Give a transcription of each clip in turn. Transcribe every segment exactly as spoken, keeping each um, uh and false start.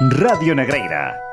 Radio Negreira.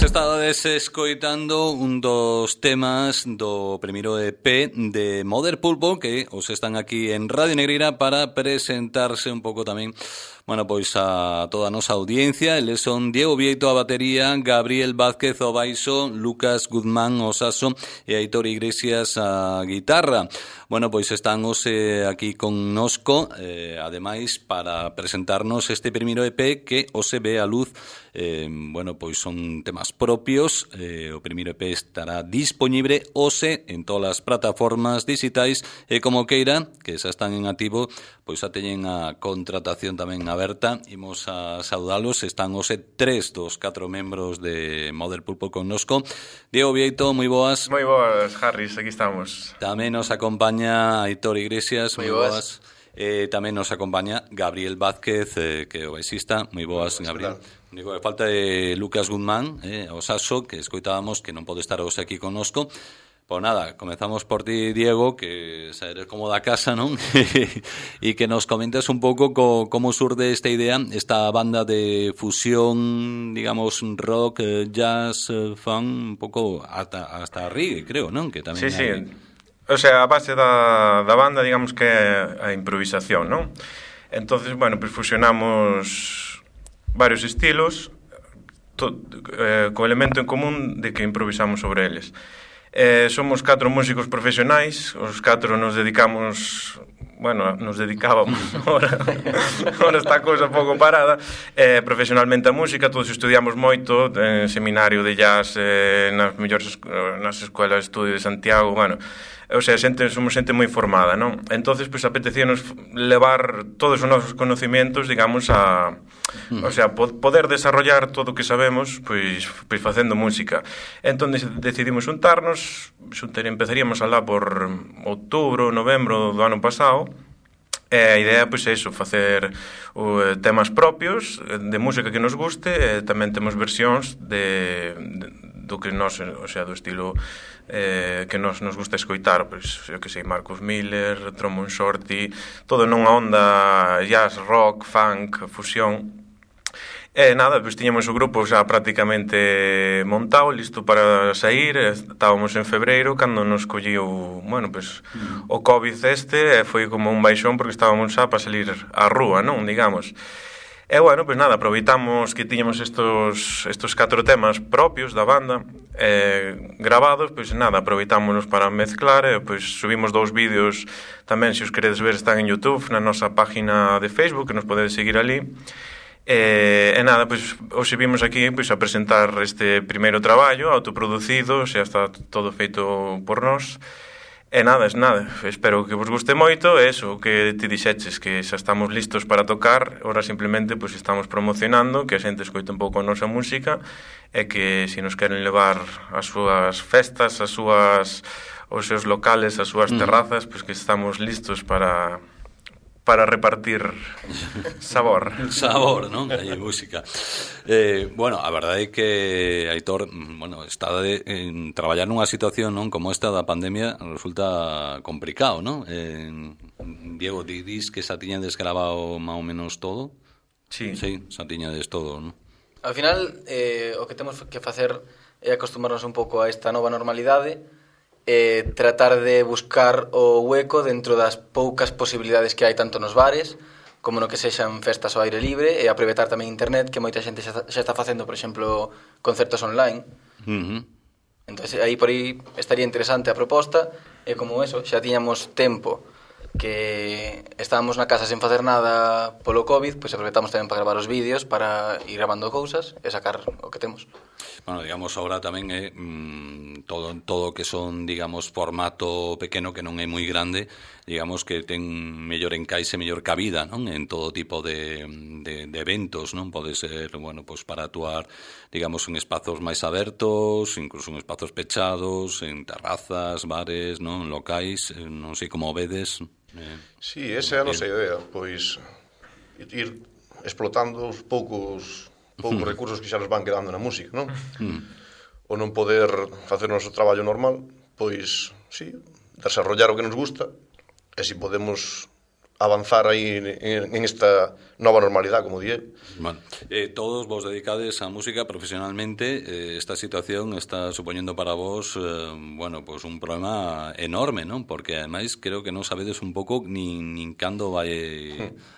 estades escoitando un dos temas do primeiro E P de Mother Pulpo que os están aquí en Radio Negreira para presentarse un pouco tamén, bueno, pois a toda a nosa audiencia. Eles son Diego Vieito a batería, Gabriel Vázquez ao baixo, Lucas Guzmán ao saxo e Aitor Iglesias a guitarra. Bueno, pois están hoxe aquí connosco, eh, ademais, para presentarnos este primeiro E P que hoxe ve a luz. Eh, bueno, pois son temas propios. Eh, o primeiro E P estará dispoñible hoxe en todas as plataformas digitais e como queira, que xa están en activo, pois xa teñen a contratación tamén aberta. Imos a saudalos. Están hoxe tres dos catro membros de Mother Pulpo connosco. Diego Vieito, moi boas. Moi boas, Harris, aquí estamos. Tamén nos acompaña Aitor Iglesias, moi boas. boas. Eh, tamén nos acompaña Gabriel Vázquez, eh, que é o baixista. Moi boas, boas Gabriel. Digo, a falta de Lucas Guzmán, eh, o saxo, que escoitábamos, que non pode estar hoxe aquí connosco. Pois nada, comezamos por ti, Diego, que xa eres como da casa, non? E que nos comentes un pouco co, como surde esta idea, esta banda de fusión, digamos, rock, eh, jazz, eh, funk, un pouco hasta, hasta reggae, creo, non? Que tamén sí, hai... sí. O sea, a base da, da banda, digamos que é a improvisación, non? Entonces, bueno, pues fusionamos varios estilos to, eh, co elemento en común de que improvisamos sobre eles. Eh, somos catro músicos profesionais, os catro nos dedicamos, bueno, nos dedicábamos, ahora, ahora está a cousa pouco parada, eh, profesionalmente a música, todos estudiamos moito, en seminario de jazz, eh, nas mellores nas escolas de estudio de Santiago, bueno, o sea, xente, somos xente moi formada, non? Entonces, pois, pues, apetecíanos levar todos os nosos conocimientos, digamos, a... O sea, po- poder desarrollar todo o que sabemos, pois, pois facendo música. Entón, decidimos juntarnos, xuntar, empezaríamos alá por outubro, novembro do ano pasado, e a idea, pois, é iso, facer uh, temas propios de música que nos guste, e tamén temos versións de... de do que nos, o sea, do estilo eh, que nos, nos gusta escoitar, pois, eu que sei, Marcus Miller, Drummond Shorty, todo nunha onda jazz, rock, funk, fusión. E nada, pois tiñamos o grupo xa prácticamente montado, listo para sair, estábamos en febreiro cando nos colliu, bueno, pois o COVID este, e foi como un baixón porque estábamos xa para salir á rúa, non, digamos. E, bueno, pois nada, aproveitamos que tiñamos estos, estos catro temas propios da banda eh, grabados, pois nada, aproveitámonos para mezclar e pois subimos dous vídeos tamén, se os queredes ver, están en YouTube, na nosa página de Facebook, que nos podedes seguir ali. E, e nada, pois hoxe vimos aquí pois, a presentar este primeiro traballo autoproducido, xa está todo feito por nós. E nada, es nada, espero que vos guste moito, e eso, que te dixeches, que xa estamos listos para tocar, ora simplemente pues, estamos promocionando, que a xente escoite un pouco a nosa música, e que se nos queren levar as súas festas, as súas, os seus locales, as súas terrazas, pues, que estamos listos para... para repartir sabor. Sabor, non? Hai música. Eh, bueno, a verdade é que Aitor, bueno, está de, en traballar nunha situación, non, como esta da pandemia resulta complicado, non? Eh, Diego, ti dis que xa tiñades grabado máis ou menos todo? Sí. Sí, xa tiñades todo, non? Ao final, eh, o que temos que facer é acostumarnos un pouco a esta nova normalidade, eh, tratar de buscar o hueco dentro das poucas posibilidades que hai tanto nos bares como no que sexan festas ao aire libre, e aproveitar tamén internet, que moita xente xa, xa está facendo, por exemplo, concertos online. Uh-huh. Entón, aí por aí estaría interesante a proposta, e como eso, xa tiñamos tempo que estábamos na casa sen facer nada polo COVID, pois aproveitamos tamén para gravar os vídeos, para ir gravando cousas e sacar o que temos. Bueno, digamos, ahora tamén é mmm, todo todo que son, digamos, formato pequeno, que non é moi grande, digamos que ten mellor encaixe, mellor cabida, non? En todo tipo de, de, de eventos, non? Pode ser, bueno, pues para actuar, digamos, en espazos máis abertos, incluso en espazos pechados, en terrazas, bares, non? Locais, non sei como vedes. Eh, Sí, esa é a nosa idea, pois ir explotando os poucos poucos mm. recursos que xa nos van quedando na música, non? Mm. O non poder facer o noso traballo normal, pois, sí, desarrollar o que nos gusta, e se podemos avanzar aí en, en esta nova normalidade, como di el. Bueno, eh, todos vos dedicades a música profesionalmente. Eh, esta situación está suponiendo para vos, eh, bueno, pues un problema enorme, ¿no? Porque ademais creo que non sabedes un pouco nin, nin cando vai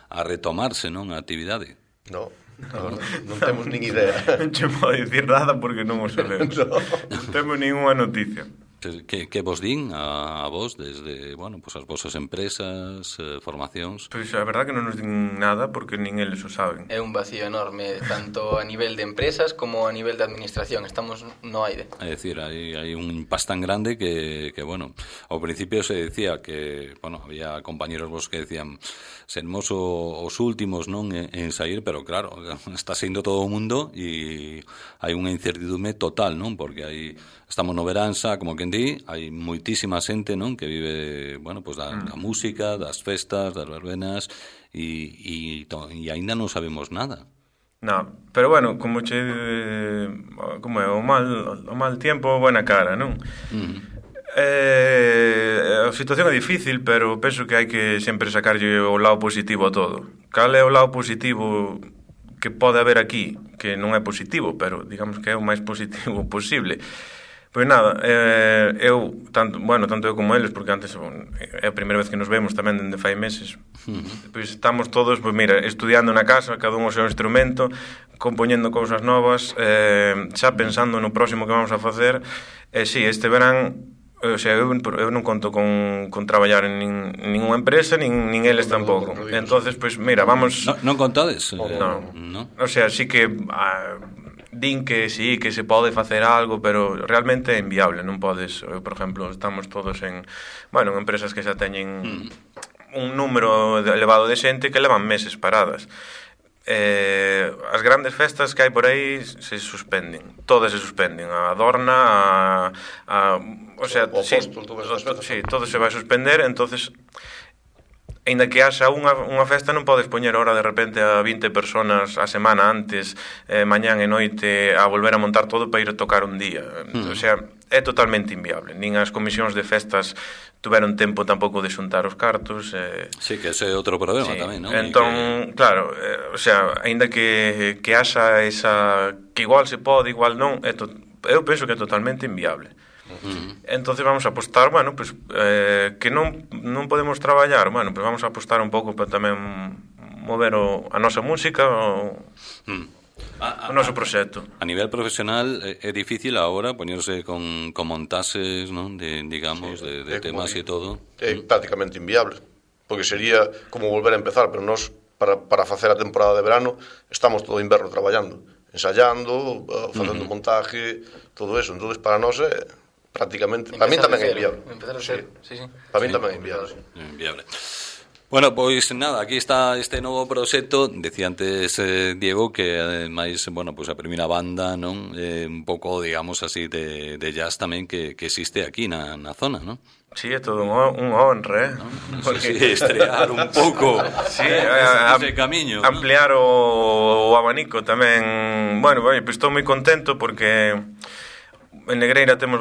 a retomarse, non, a actividade. No, no, non temos nin idea. Non che podo dicir nada porque non o sabemos. No. Non temos ninguna noticia. Que, que vos din a, a vos desde, bueno, pues as vosas empresas, eh, formacións? Pois a verdad que non nos din nada porque nin eles o saben. É un vacío enorme, tanto a nivel de empresas como a nivel de administración. Estamos no aire. É dicir, hai, hai un impasse tan grande que, que, bueno, ao principio se decía que, bueno, había compañeros vos que decían sermos o, os últimos, non, en, en sair, pero claro, está saindo todo o mundo e hai unha incertidume total, non? Porque hai, estamos no veranza, como quen di, hai moitísima xente, non, que vive, bueno, pues da, da música, das festas, das verbenas e, e, e aínda non sabemos nada. No, pero bueno, como che como é o mal o mal tempo, buena cara, non? Uh-huh. Eh, a situación é difícil, pero penso que hai que sempre sacarlle o lado positivo a todo. Cal é o lado positivo que pode haber aquí? Que non é positivo, pero digamos que é o máis positivo posible. Pois nada, eh, eu, tanto, bueno, tanto eu como eles, porque antes é a primeira vez que nos vemos tamén dende fai meses, uh-huh. Pois estamos todos, pois mira, estudiando na casa, cada un o seu instrumento, compoñendo cousas novas, eh, xa pensando no próximo que vamos a facer. E eh, si, sí, este verán, o sea, eu, eu non conto con, con traballar en nin, ninguna empresa, nin, nin eles tampouco. Entonces, pois mira, vamos... No, non contades? No. no. O sea, sí que... Ah, din que sí, que se pode facer algo, pero realmente é inviable, non podes, eu, por exemplo, estamos todos en, bueno, en empresas que xa teñen mm. un número elevado de xente que levan meses paradas. Eh, as grandes festas que hai por aí se suspenden, todas se suspenden, a Adorna, a, a o sea, o sí, Apóstol, todas as festas, sí, todo se vai suspender, entonces aínda que haxa unha, unha festa non podes poñer ahora de repente a vinte personas a semana antes, eh, mañán e noite a volver a montar todo para ir a tocar un día. Mm. O sea, é totalmente inviable. Nin as comisións de festas tuveron tempo tampouco de xuntar os cartos. Eh... Sí, que ese é outro problema sí. tamén, non? Entón, que... claro, eh, o sea, aínda que, que haxa esa... que igual se pode, igual non, é to... eu penso que é totalmente inviable. Uh-huh. Entonces vamos a apostar, bueno, pues, eh, que non, non podemos traballar, bueno, pues vamos a apostar un pouco para tamén mover o, a nosa música o, uh-huh. a, a, o noso proxecto. A nivel profesional é, é difícil agora poñerse con, con montases, non? De, digamos, sí, de, de temas e todo. É uh-huh. prácticamente inviable, porque sería como volver a empezar, pero nós para, para facer a temporada de verano estamos todo o inverno traballando, ensayando, facendo uh-huh. montaje, todo eso. Entonces para nós é prácticamente, para mí tamén é inviable. Empezar a ser, sí, sí. Para mí tamén é inviable. Inviable. Bueno, pois nada, aquí está este novo proxecto. Decía antes eh, Diego que ademais, bueno, pois a primeira banda, non, eh, un pouco, digamos así, de, de jazz tamén que, que existe aquí na, na zona, non? Sí, é todo un, un honra, eh? No, no porque... sé si estrear un pouco sí, a, ese camiño, ampliar o, o abanico tamén. Bueno, bueno, pues estou moi contento porque en Negreira temos,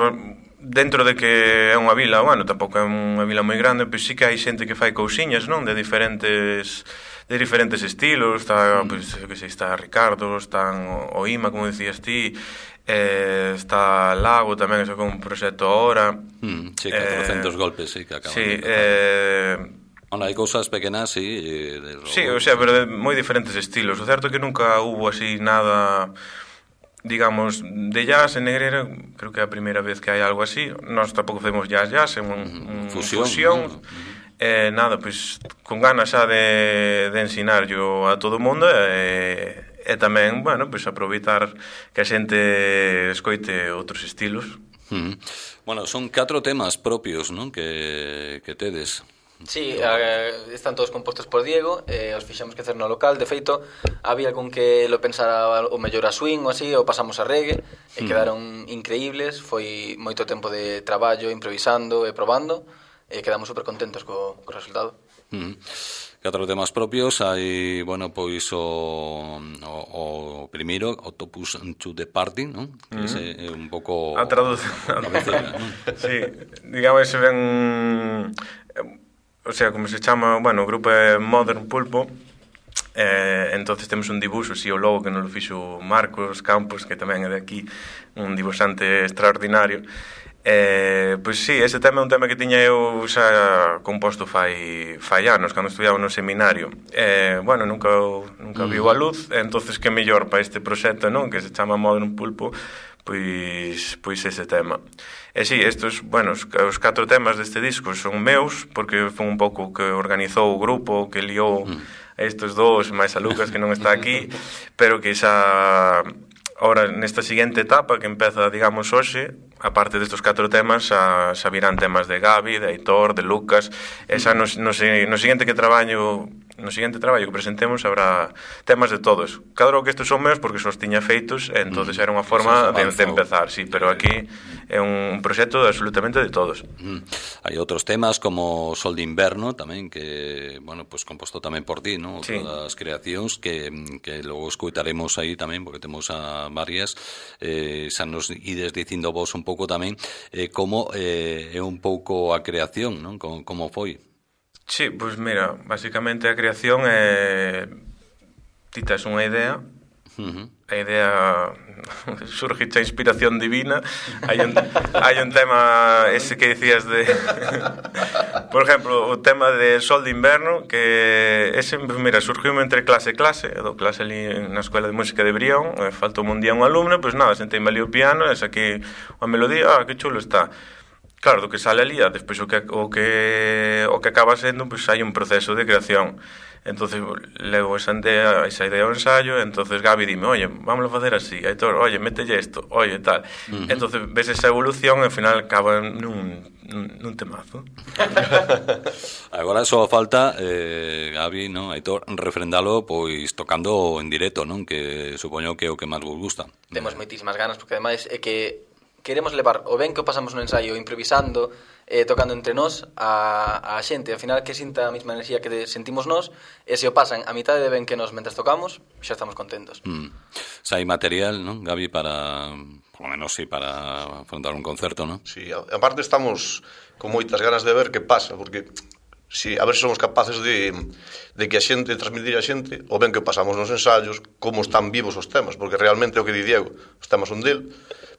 dentro de que é unha vila, bueno, tampouco é unha vila moi grande, pois sí que hai xente que fai cousiñas, non? De diferentes de diferentes estilos, está, mm. pois, que sei, está Ricardo, está o Ima, como decías ti, eh, está Lago tamén, que sacou un proxecto ahora. Mm, sí, catrocentos eh, golpes, sí, que acaban sí, de eh, bueno, hai cousas pequenas, sí, de robo, sí, o sea, pero de moi diferentes estilos. O certo é que nunca hubo así nada, digamos, de jazz en Negreira. Creo que é a primeira vez que hai algo así. Nós tampouco facemos jazz jazz, é un, un fusión, fusión. ¿no? Eh, nada, pois con ganas xa de, de ensinar yo a todo o mundo e, e tamén, bueno, pois aproveitar que a xente escoite outros estilos. Mm. Bueno, son catro temas propios, non? Que, que tedes. Sí, eh, están todos compostos por Diego, eh, os fixamos que hacer no local. De feito, había algún que lo pensara o mellor a swing ou así, ou pasamos a reggae, e mm. quedaron increíbles. Foi moito tempo de traballo, improvisando e probando, e quedamos super contentos co, co resultado. Mm. Catro temas propios, hai, bueno, pois o, o, o primeiro, Octopus to the Party, non? Que mm. é un pouco... A traducción. Sí, digamos, se ven... o sea, como se chama, bueno, o grupo é Modern Pulpo. Eh, entonces temos un dibuixo, si o logo que nos lo fixo Marcos Campos, que tamén é de aquí, un dibuixante extraordinario. Eh, pois sí, ese tema é un tema que tiña eu xa composto fai, fai anos, cando estudiaba no seminario. Eh, bueno, nunca, nunca viu a luz, entonces que mellor para este proxecto, non? Que se chama Modern Pulpo, pois, pois ese tema. E sí, estos, bueno, os, os catro temas deste disco son meus, porque foi un pouco que organizou o grupo, que liou a estes dous, máis a Lucas, que non está aquí, pero que xa, ahora, nesta seguinte etapa, que empeza, digamos, hoxe, aparte destos catro temas, xa, xa virán temas de Gabi, de Aitor, de Lucas, e xa no, no, no seguinte que traballo, no seguinte traballo que presentemos habrá temas de todos. Claro que estes son meus porque só os tiña feitos, e entonces era unha forma de, de empezar, sí, pero aquí é un proxecto absolutamente de todos. Mm. Hai outros temas como Sol de Inverno tamén, que, bueno, pues composto tamén por ti, ¿no? Sí. Todas as creacións que, que logo escutaremos aí tamén, porque temos a varias, eh, xa nos ides dicindo vos un pouco tamén eh, como eh, é un pouco a creación, non? Como, como foi? Sí, pois pues mira, basicamente a creación é... Ti tes unha idea, uh-huh. A idea surge a inspiración divina. Hai un, hai un tema ese que dicías de por exemplo, o tema de Sol de Inverno, que ese, mira, surgiu entre clase e clase, do clase ali na Escola de Música de Brión, faltou un día un alumno, pois pues nada, senteime ali o piano e saquei a melodía, ah, que chulo está. Claro, do que sale ali, despois o que o que o que acaba sendo, pois pues, hai un proceso de creación. Entonces levo esa idea, esa idea ao ensayo, entonces Gabi dime, oye, vámonos a facer así, Aitor, oye, mételle isto, oye, tal. Uh-huh. Entonces ves esa evolución e ao final acaba nun, nun, nun temazo. Agora só falta, eh, Gabi, no, Aitor, refrendalo pois tocando en directo, non? Que supoño que é o que máis vos gusta. Temos moitísimas ganas, porque ademais é que queremos levar o ben que o pasamos no ensaio improvisando, eh, tocando entre nós a, a xente, ao final que sinta a mesma enerxía que sentimos nós, e se o pasan a mitade de ben que nós mentras tocamos, xa estamos contentos. Mm. Xa hai material, non, Gabi, para, por lo menos, sí, para afrontar un concerto, non? Sí, aparte estamos con moitas ganas de ver que pasa, porque si, a ver se somos capaces de, de que a xente, transmitir a xente o ben que pasamos nos ensayos, como están vivos os temas, porque realmente o que di Diego, os temas son del,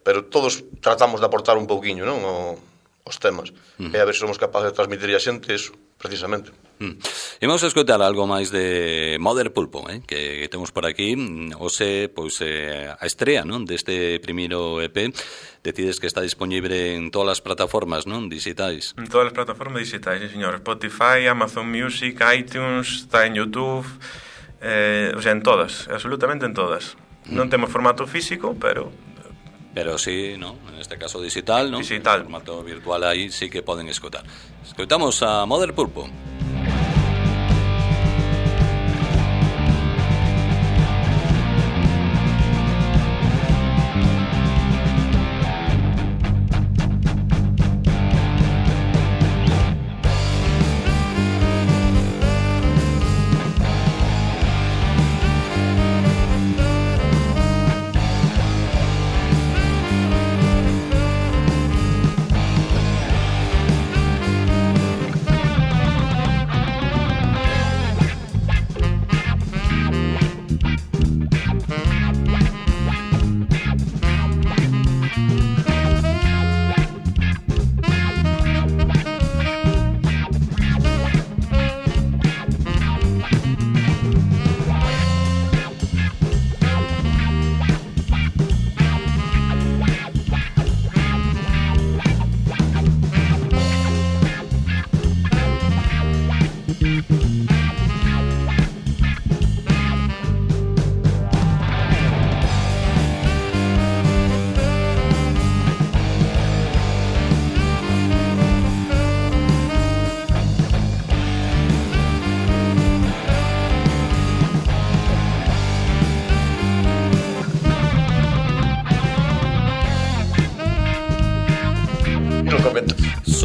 pero todos tratamos de aportar un pouquiño, non, o, os temas. Uh-huh. E a ver se somos capaces de transmitir a xente eso, precisamente. Uh-huh. Imos a escoitar algo máis de Modern Pulpo, eh, que temos por aquí. Ose, pois, eh, a estrea, non, deste primeiro E P. Decides que está disponible en todas as plataformas, non, digitais? En todas as plataformas digitais, sí, señor. Spotify, Amazon Music, iTunes, está en YouTube, eh, o sea, en todas, absolutamente en todas. Uh-huh. Non temos formato físico, pero... Pero sí, ¿no? En este caso digital, ¿no? Digital. En formato virtual aí sí que poden escoitar. Escoitamos a Modern Pulpo.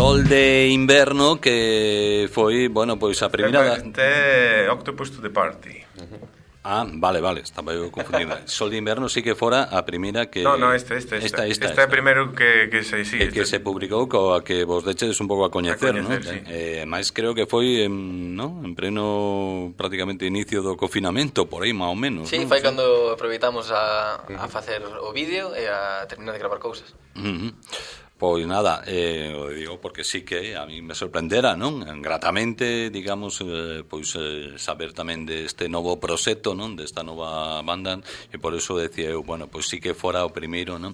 Sol de Inverno, que foi, bueno, pois a primeira... Este Octopus to the Party. Uh-huh. Ah, vale, vale, estaba eu confundindo. Sol de Inverno sí que fora a primeira que... No, no, esta, esta, esta. Esta, esta é a primeiro que, que se, sí, que, que se publicou coa que vos dechedes un pouco a coñecer, a coñecer, ¿no? Sí. Eh, máis creo que foi en, ¿no? en pleno prácticamente inicio do confinamento, por aí, máis ou menos. Sí, ¿no? foi cando aproveitamos a, a facer o vídeo e a terminar de gravar cousas. Uh-huh. Pois nada, eh, o digo porque sí que a mí me sorprendera, non? Gratamente, digamos, eh, pois eh, saber tamén deste novo proxecto, non? Desta nova banda, e por eso decía eu, bueno, pois sí que fora o primeiro, non?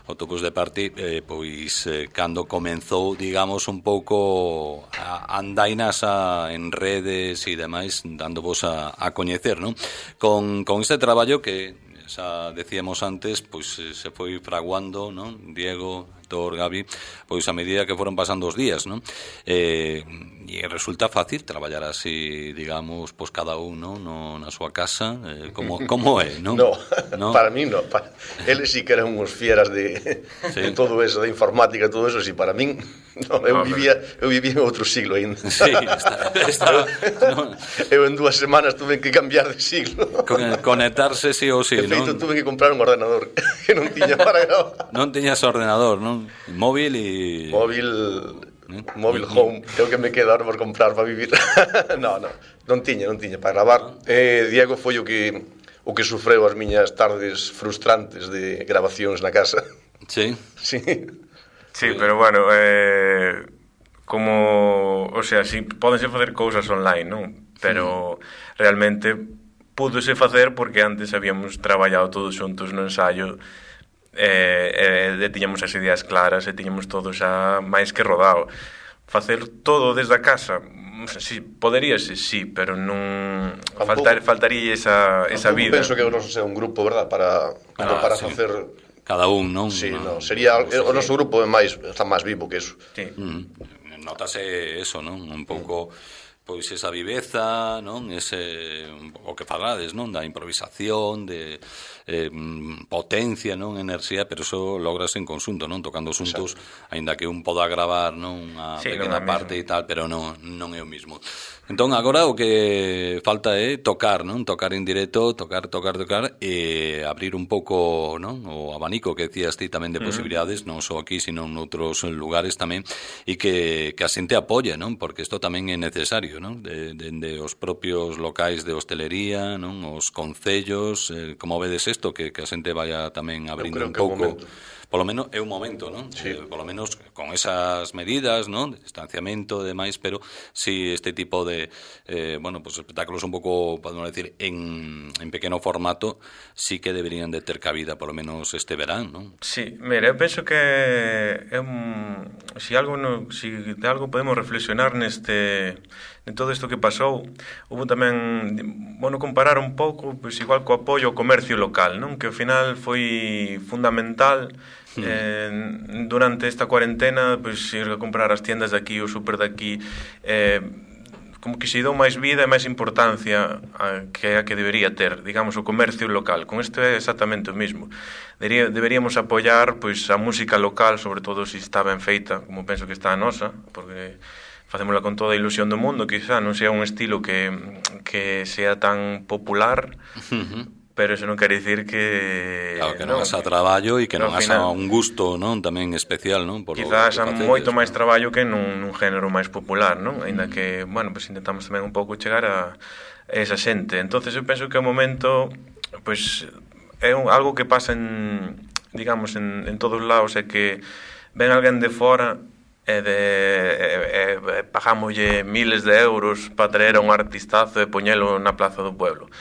Autobús de Party, eh, pois eh, cando comenzou, digamos, un pouco a andainas a, en redes e demais, dándovos a, a coñecer, non? Con, con este traballo que xa decíamos antes, pois se foi fraguando, non? Diego, Tor, Gabi, pois a medida que foron pasando os días, non? Eh, e resulta fácil traballar así, digamos, pois cada un, non? No, na súa casa, eh, como, como é, non? No, ¿no? Para mí no. Para... Eles sí que eran uns fieras de, sí. de todo eso, de informática, todo eso, sí, para min, no, eu, no, vivía, eu vivía en outro siglo ainda. Sí, está, está, no. Eu en dúas semanas tuve que cambiar de siglo. Con, conectarse sí ou sí, non? De feito, non? tuve que comprar un ordenador que non tiña para gravar. Non tiñas ordenador, non? Móvil e... Móvil... ¿Eh? Móvil home, creo que me queda ahora por comprar para vivir. no, no, non tiña, non tiña para gravar. Eh, Diego foi o que o que sufreu as miñas tardes frustrantes de grabacións na casa. Sí. Sí. Sí, pero bueno, eh, como, o sea, si pódense facer cousas online, non? Pero mm. realmente púdose facer porque antes habíamos traballado todos xuntos no ensayo. E, e, e tiñamos as ideas claras e tiñamos todo xa máis que rodado. Facer todo desde a casa, si, poderíase, sí, pero non faltar, faltaría esa, esa vida. Penso que o noso sea un grupo, verdad, para, ah, para sí. facer... Cada un, non? Sí, no, no, sería, o noso grupo é máis, está máis vivo que eso. Sí. Mm, notase eso, non? Un pouco... pois esa viveza, non? Ese o que falades, non? Da improvisación, de eh, potencia, non? Enerxía, pero eso logras en consunto, non? Tocando xuntos, aínda que un poda gravar, non? Unha sí, pequena non parte e tal, pero non, non é o mismo. Entón, agora o que falta é tocar, non? Tocar en directo, tocar, tocar, tocar e abrir un pouco, non? O abanico que decías ti tamén de posibilidades, non só aquí, sino en outros lugares tamén, e que, que a xente apoie, non? Porque isto tamén é necesario, non? De, de, de os propios locais de hostelería, non? Os concellos, eh, como vedes isto, que, que a xente vaya tamén abrindo un pouco... Polo menos é un momento, non? Sí. Eh, polo menos con esas medidas, non? De distanciamento e demais, pero si este tipo de, eh, bueno, pues espectáculos un pouco, podemos decir, en, en pequeno formato, sí que deberían de ter cabida, polo menos este verán, non? Sí, mira, eu penso que é un, si algo no, si de algo podemos reflexionar neste en todo isto que pasou, houve tamén, bueno, comparar un pouco, pois igual co apoio ao comercio local, non? Que ao final foi fundamental. Eh, durante esta cuarentena, pois ir a comprar as tiendas de aquí, o super de aquí, eh, como que se dou máis vida e máis importancia a, que a que debería ter, digamos, o comercio local. Con isto é exactamente o mismo. Debería, deberíamos apoiar pois a música local, sobre todo se está ben feita, como penso que está a nosa, porque facémola con toda a ilusión do mundo, quizá non sea un estilo que, que sea tan popular, uh-huh. Pero eso non quere dicir que... Claro, que non haxa traballo e que non haxa un gusto, non? Tamén especial, non? Por quizás haxa moito máis traballo que nun, nun género máis popular, non? Ainda que, bueno, pues intentamos tamén un pouco chegar a esa xente. Entonces eu penso que o momento, pues, é un, algo que pasa en, digamos, en, en todos lados, é que ven alguén de fora e de e, e, pagámoslle miles de euros para traer a un artistazo e poñelo na plaza do pueblo.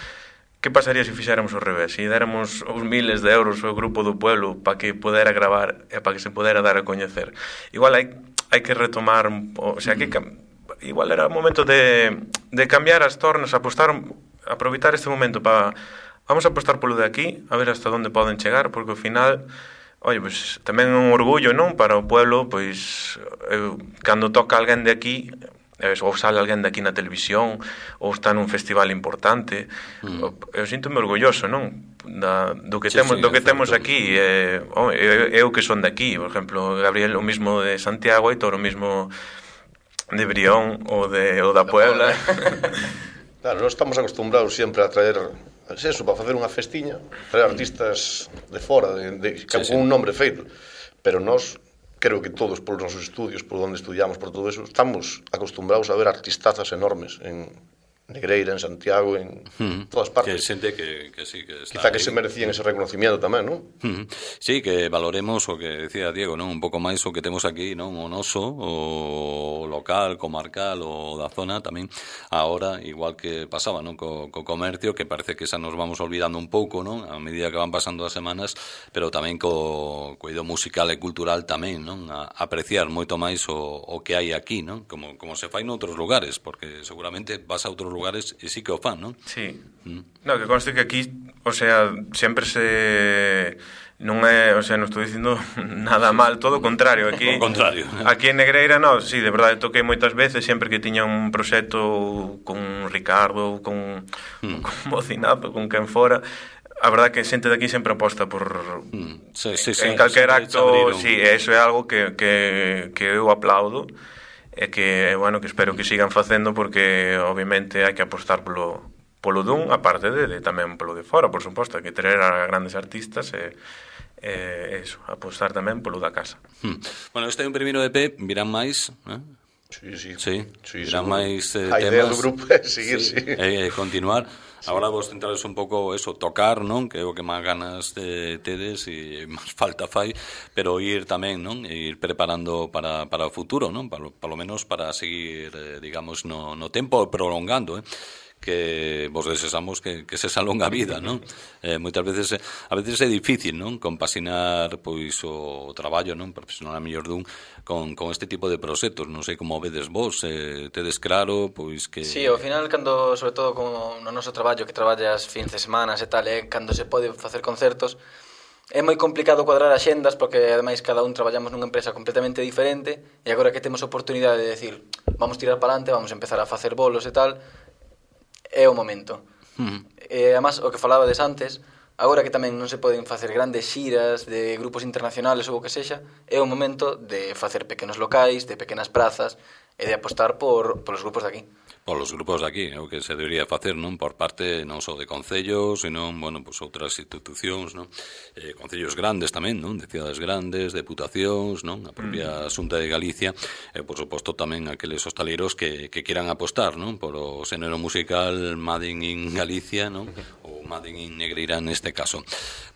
Que pasaría se fixéramos ao revés? Se déramos os miles de euros ao grupo do pueblo para que podera gravar e para que se podera dar a coñecer. Igual hai, hai que retomar, o sea, que igual era o momento de, de cambiar as tornas, apostar, aproveitar este momento para vamos a apostar polo de aquí, a ver hasta onde poden chegar, porque ao final, oye, pues tamén é un orgullo, non, para o pueblo, pois eu, cando toca alguén de aquí, ou sale alguén de aquí na televisión, ou está nun festival importante, mm. eu sinto-me orgulloso, non? Da, do que, sí, temos, sí, do que temos aquí, eh, oh, eu, eu que son de aquí, por exemplo, Gabriel o mismo de Santiago, Aitor o mismo de Brión ou, de, ou da Puebla. Claro, nós estamos acostumbrados sempre a traer é eso, para facer unha festiña, traer artistas de fora, de, de, sí, con sí. un nombre feito. Pero nós, creo que todos, polos nosos estudios, por onde estudiamos, por todo eso, estamos acostumbrados a ver artistazas enormes en Negreira, en Santiago, en mm, todas partes. Que xente que, que sí, que está quizá que ahí. Se merecían ese reconocimiento tamén, non? Mm, sí, que valoremos o que decía Diego, non? Un pouco máis o que temos aquí, non? O noso, o local, comarcal, o da zona tamén. Ahora, igual que pasaba, non? Co, co comercio, que parece que xa nos vamos olvidando un pouco, non? A medida que van pasando as semanas, pero tamén co cuido musical e cultural tamén, non? A apreciar moito máis o, o que hai aquí, non? Como, como se fai noutros lugares, porque seguramente vas a outros lugares e sí que o fan, non? Sí. Mm. No, que conste que aquí, o sea, sempre se... Non é, o sea, non estou dicindo nada mal, todo o contrario. Aquí, o contrario. Aquí en Negreira, no, sí, de verdade, toquei moitas veces, sempre que tiña un proxecto con Ricardo, con, mm. con Mocinazo, con quen fora. A verdade que xente de aquí sempre aposta por... Mm. Sí, sí, sí, en calquer acto, sí, eso é algo que, que, que eu aplaudo. E que, bueno, que espero que sigan facendo porque obviamente hai que apostar polo, polo dun, aparte de, de tamén polo de fora, por suposto, hai que traer a grandes artistas e, e eso, apostar tamén polo da casa. Hmm. Bueno, este é un primeiro E P, virán máis, eh? Sí, sí. Sí, sí virán máis eh, a temas. A idea do grupo é seguir, sí. sí. E eh, continuar. Sí. Agora vos centrades un pouco eso, tocar, non? Que é o que máis ganas de tedes e máis falta fai, pero ir tamén, non? E ir preparando para, para o futuro, non? Para, para lo menos para seguir, eh, digamos, no, no tempo prolongando, eh? Que vos desexamos que, que se salonga a vida, non? Eh, moitas veces, a veces é difícil, non? Compasinar, pois, o traballo, non? Profesional a mellor dun con, con este tipo de proxectos, non sei como vedes vos, eh, tedes claro, pois que... Sí, ao final, cando, sobre todo como no noso traballo, que traballas fins de semanas e tal, eh, cando se pode facer concertos, é moi complicado cuadrar axendas, porque ademais cada un traballamos nunha empresa completamente diferente, e agora que temos oportunidade de decir, vamos tirar para adelante, vamos empezar a facer bolos e tal, é o momento. Uh-huh. E, además, o que falabades antes, agora que tamén non se poden facer grandes xiras de grupos internacionales ou o que sexa, é o momento de facer pequenos locais, de pequenas prazas, e de apostar por, por os grupos de aquí. Por los grupos de aquí, é o que se debería facer, non? Por parte non só de concellos, senón, bueno, pues outras institucións, non? Eh, concellos grandes tamén, non? De cidades grandes, deputacións, non? A propia Xunta de Galicia, e, por suposto, tamén aqueles hostaleiros que, que quieran apostar, non? Por o xénero musical Made in Galicia, non? Ou Made in Negreira neste caso.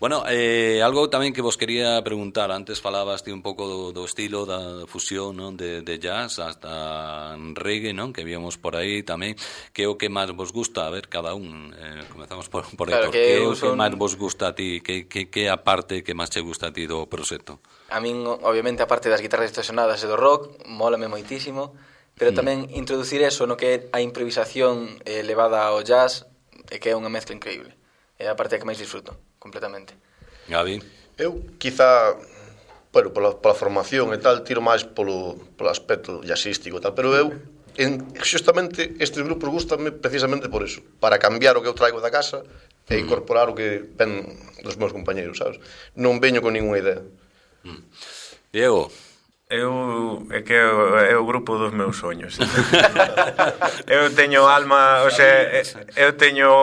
Bueno, eh, algo tamén que vos quería preguntar, antes falabas ti un pouco do, do estilo da fusión, non? De, de jazz hasta reggae, non? Que víamos por aí tamén, que é o que máis vos gusta, a ver, cada un, eh, comezamos por, por claro, Héctor, que é o son... que máis vos gusta a ti, que, que, que a parte que máis che gusta a ti do proxecto? A min, obviamente, a parte das guitarras distorsionadas e do rock, mólame moitísimo, pero mm. tamén introducir eso no que é a improvisación eh, levada ao jazz, e que é unha mezcla increíble. É a parte que máis disfruto, completamente. Gabi? Eu, quizá, bueno, pola, pola formación e tal, tiro máis polo, polo aspecto jazzístico e tal, pero eu, en, justamente, estes grupos gustame precisamente por eso, para cambiar o que eu traigo da casa e incorporar o que ven dos meus compañeros, sabes? Non veño con ninguna idea. Mm. Diego? Eu, é que é o grupo dos meus soños. Eu teño alma, o sea, eu teño,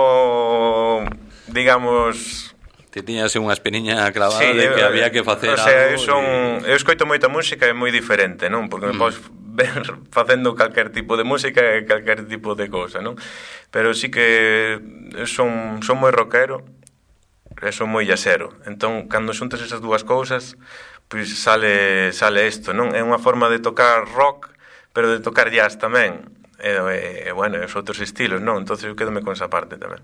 digamos... Te tiñas unha espiniña clavada sí, de que eu, había que facer o sea, algo. Eu, son, y... eu escoito moita música e moi diferente, non? Porque mm. me podes ver facendo calquer tipo de música e calquer tipo de cousa, non? Pero sí que son, son moi rockero e son moi jazzero. Entón, cando xuntas esas dúas cousas, pois sale, sale isto, non? É unha forma de tocar rock, pero de tocar jazz tamén. E, e, e bueno, os outros estilos, non? Entón, eu quedome con esa parte tamén.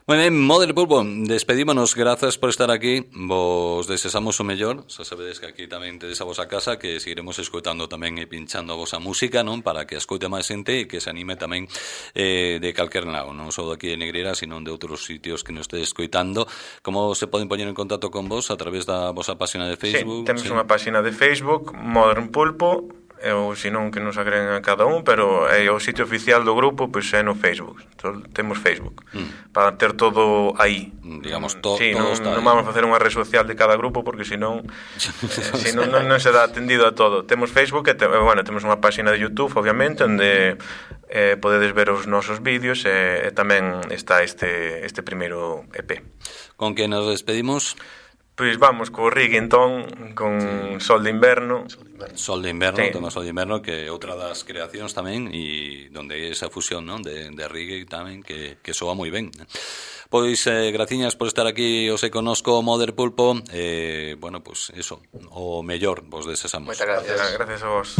Moi ben, Mother Pulpo, despedímonos, grazas por estar aquí, vos desexamos o mellor, xa sabedes que aquí tamén tedes a vosa casa, que seguiremos escoitando tamén e pinchando a vosa música, non? Para que escoite máis xente e que se anime tamén eh, de calquer lado, non só de aquí de Negreira, sino de outros sitios que nos estedes escoitando. Como se poden poñer en contacto con vos? A través da vosa página de Facebook? Sí, temos sí? unha página de Facebook, Modern Pulpo, ou senón que nos agreguen a cada un, pero é o sitio oficial do grupo, pois é no Facebook. Entón, temos Facebook mm. para ter todo aí. Digamos, to, sí, todo non, está non vamos a facer unha red social de cada grupo porque senón eh, senón non, non se dá atendido a todo. Temos Facebook e te, bueno, temos unha página de YouTube, obviamente, onde eh, podedes ver os nosos vídeos e, e tamén está este, este primeiro E P. Con que nos despedimos? Pois vamos co Riggington, con sí. Sol de Inverno. Sol de Inverno, sí. tema Sol de Inverno, que é outra das creacións tamén, e donde hai esa fusión, non, de, de reggae tamén, que, que soa moi ben. Pois, eh, graciñas por estar aquí, os e conosco Mother Pulpo, e, eh, bueno, pois, eso, o mellor vos desexamos. Moitas gracias. Gracias a vos.